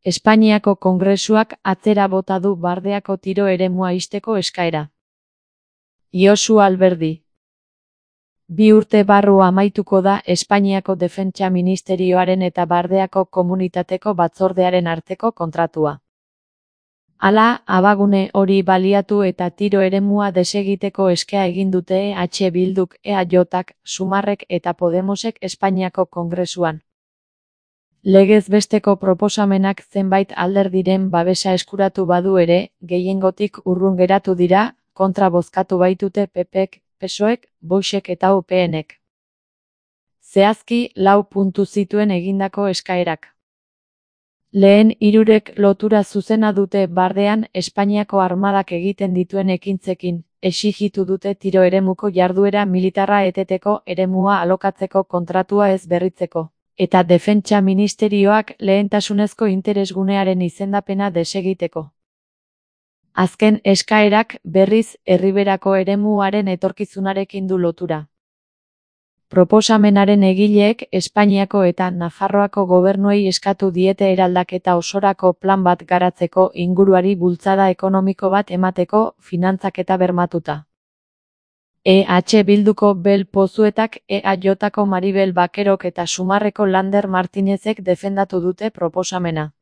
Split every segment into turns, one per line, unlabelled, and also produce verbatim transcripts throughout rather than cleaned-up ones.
Espainiako Kongresuak atzera bota du Bardeako tiro eremua ixteko eskaera. Josu Alberdi. Bi urte barru amaituko da Espainiako Defentsa Ministerioaren eta Bardeako Komunitateko Batzordearen arteko kontratua. Hala, abagune hori baliatu eta tiro eremua desegiteko eskea egin dute E H Bilduk, E A Jk, Sumarrek eta Podemosek Espainiako Kongresuan. Legez besteko proposamenak zenbait alderdiren babesa eskuratu badu ere, gehiengotik urrun geratu dira, kontra bozkatu baitute P Pk, P S O Ek, Voxek eta U P Nek. Zehazki, lau puntu zituen egindako eskaerak. Lehen hirurek lotura zuzena dute Bardean Espainiako armadak egiten dituen ekintzekin, exijitu dute tiro eremuko jarduera militarra eteteko eremua alokatzeko kontratua ez berritzeko, eta Defentsa Ministerioak lehentasunezko interesgunearen izendapena desegiteko. Azken eskaerak, berriz, Erriberako eremuaren etorkizunarekin du lotura. Proposamenaren egileek Espainiako eta Nafarroako gobernuei eskatu diete eraldaketa osorako plan bat garatzeko inguruari bultzada ekonomiko bat emateko finantzaketa bermatuta. E H Bilduko Bel Pozuetak, E A Jko Maribel Bakerok eta Sumarreko Lander Martinezek defendatu dute proposamena.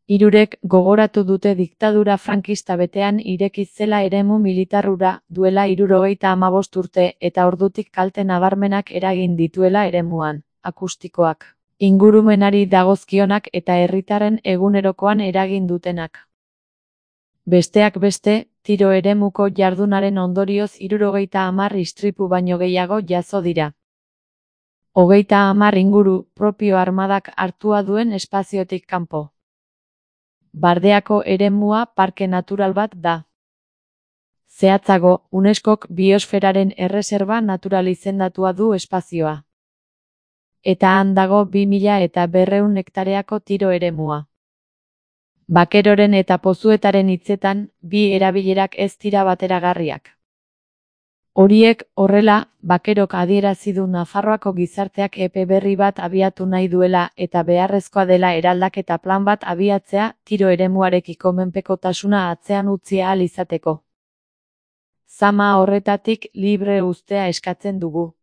Hirurek gogoratu dute diktadura frankista betean ireki zela eremu militarrura duela hirurogeita hamabost urte eta ordutik kalte nabarmenak eragin dituela eremuan, akustikoak, ingurumenari dagozkionak eta herritarren egunerokoan eragin dutenak. Besteak beste, tiro eremuko jardunaren ondorioz hirurogeita hamar istripu baino gehiago jazo dira. Hogeita hamar inguru propio armadak hartua duen espaziotik kanpo. Bardeako eremua parke natural bat da. Zehatzago, UNESCOk biosferaren erreserba natural izendatua du espazioa. Eta han dago bi mila eta berrehun hektareako tiro eremua. Bakeroren eta Pozuetaren hitzetan, bi erabilerak ez dira bateragarriak. Horiek horrela, Bakerok adierazi du Nafarroako gizarteak epe berri bat abiatu nahi duela eta beharrezkoa dela eraldaketa plan bat abiatzea tiro eremuarekiko menpekotasuna atzean utzi ahal izateko. Zama horretatik libre uztea eskatzen dugu.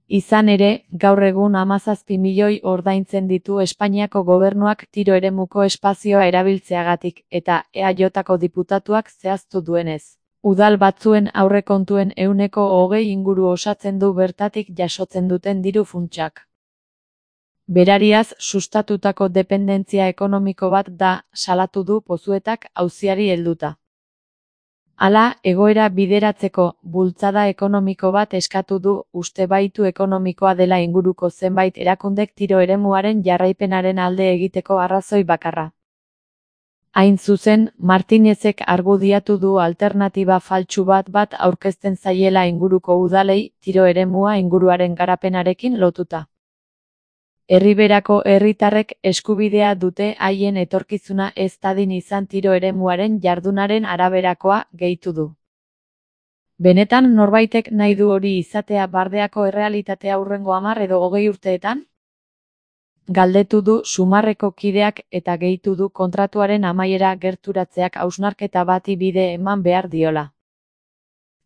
Izan ere, gaur egun hamazazpi milioi ordaintzen ditu Espainiako gobernuak tiro eremuko espazioa erabiltzeagatik eta E A Jko diputatuak zehaztu duenez. Udal batzuen aurrekontuen ehuneko hogei inguru osatzen du bertatik jasotzen duten diru funtsak. Berariaz sustatutako dependentzia ekonomiko bat da, salatu du Pozuetak auziari helduta. Hala, egoera bideratzeko bultzada ekonomiko bat eskatu du, uste baitu ekonomikoa dela inguruko zenbait erakundek tiro eremuaren jarraipenaren alde egiteko arrazoi bakarra. Hain zuzen, Martinezek argudiatu du alternatiba faltsu bat bat aurkezten zaiela inguruko udalei tiro eremua inguruaren garapenarekin lotuta. Erriberako herritarrek eskubidea dute haien etorkizuna ez dadin izan tiro eremuaren jardunaren araberakoa, gehitu du. Benetan norbaitek nahi du hori izatea Bardeako errealitatea hurrengo hamar edo hogei urteetan? Galdetu du Sumarreko kideak eta gehitu du kontratuaren amaiera gerturatzeak hausnarketa bati bide eman behar diola.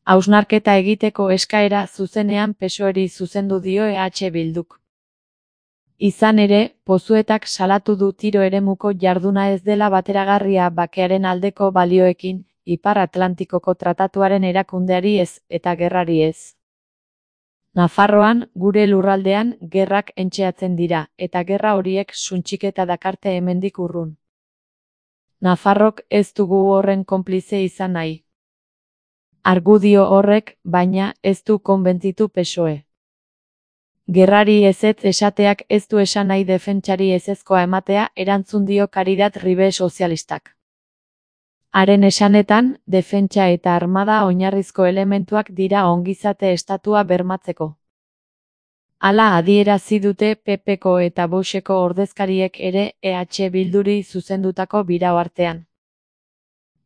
Hausnarketa egiteko eskaera zuzenean P S O Eri zuzendu dio E H Bilduk. Izan ere, Pozuetak salatu du tiro eremuko jarduna ez dela bateragarria bakearen aldeko balioekin, Ipar Atlantikoko tratatuaren erakundeari ez eta gerrari ez. Nafarroan, gure lurraldean, gerrak entxeatzen dira, eta gerra horiek suntxiketa dakarte hemendik urrun. Nafarrok ez dugu horren konplize izan nahi. Argudio horrek, baina, ez du konbentzitu P S O E. Gerrari ezetz esateak ez du esan nahi defentsari ezezkoa ematea, erantzun dio Caridad Ribe sozialistak. Haren esanetan, defentsa eta armada oinarrizko elementuak dira ongizate estatua bermatzeko. Hala adierazi dute P Pko eta Voxeko ordezkariek ere E H Bilduri zuzendutako birao artean.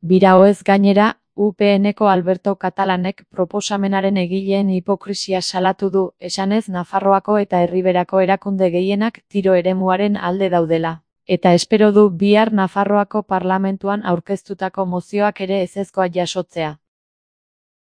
Biraoez gainera, U P Nko Alberto Catalanek proposamenaren egileen hipokrisia salatu du, esanez Nafarroako eta Erriberako erakunde gehienak tiro eremuaren alde daudela. eta espero du bihar Nafarroako parlamentuan aurkeztutako mozioak ere ezezkoa jasotzea.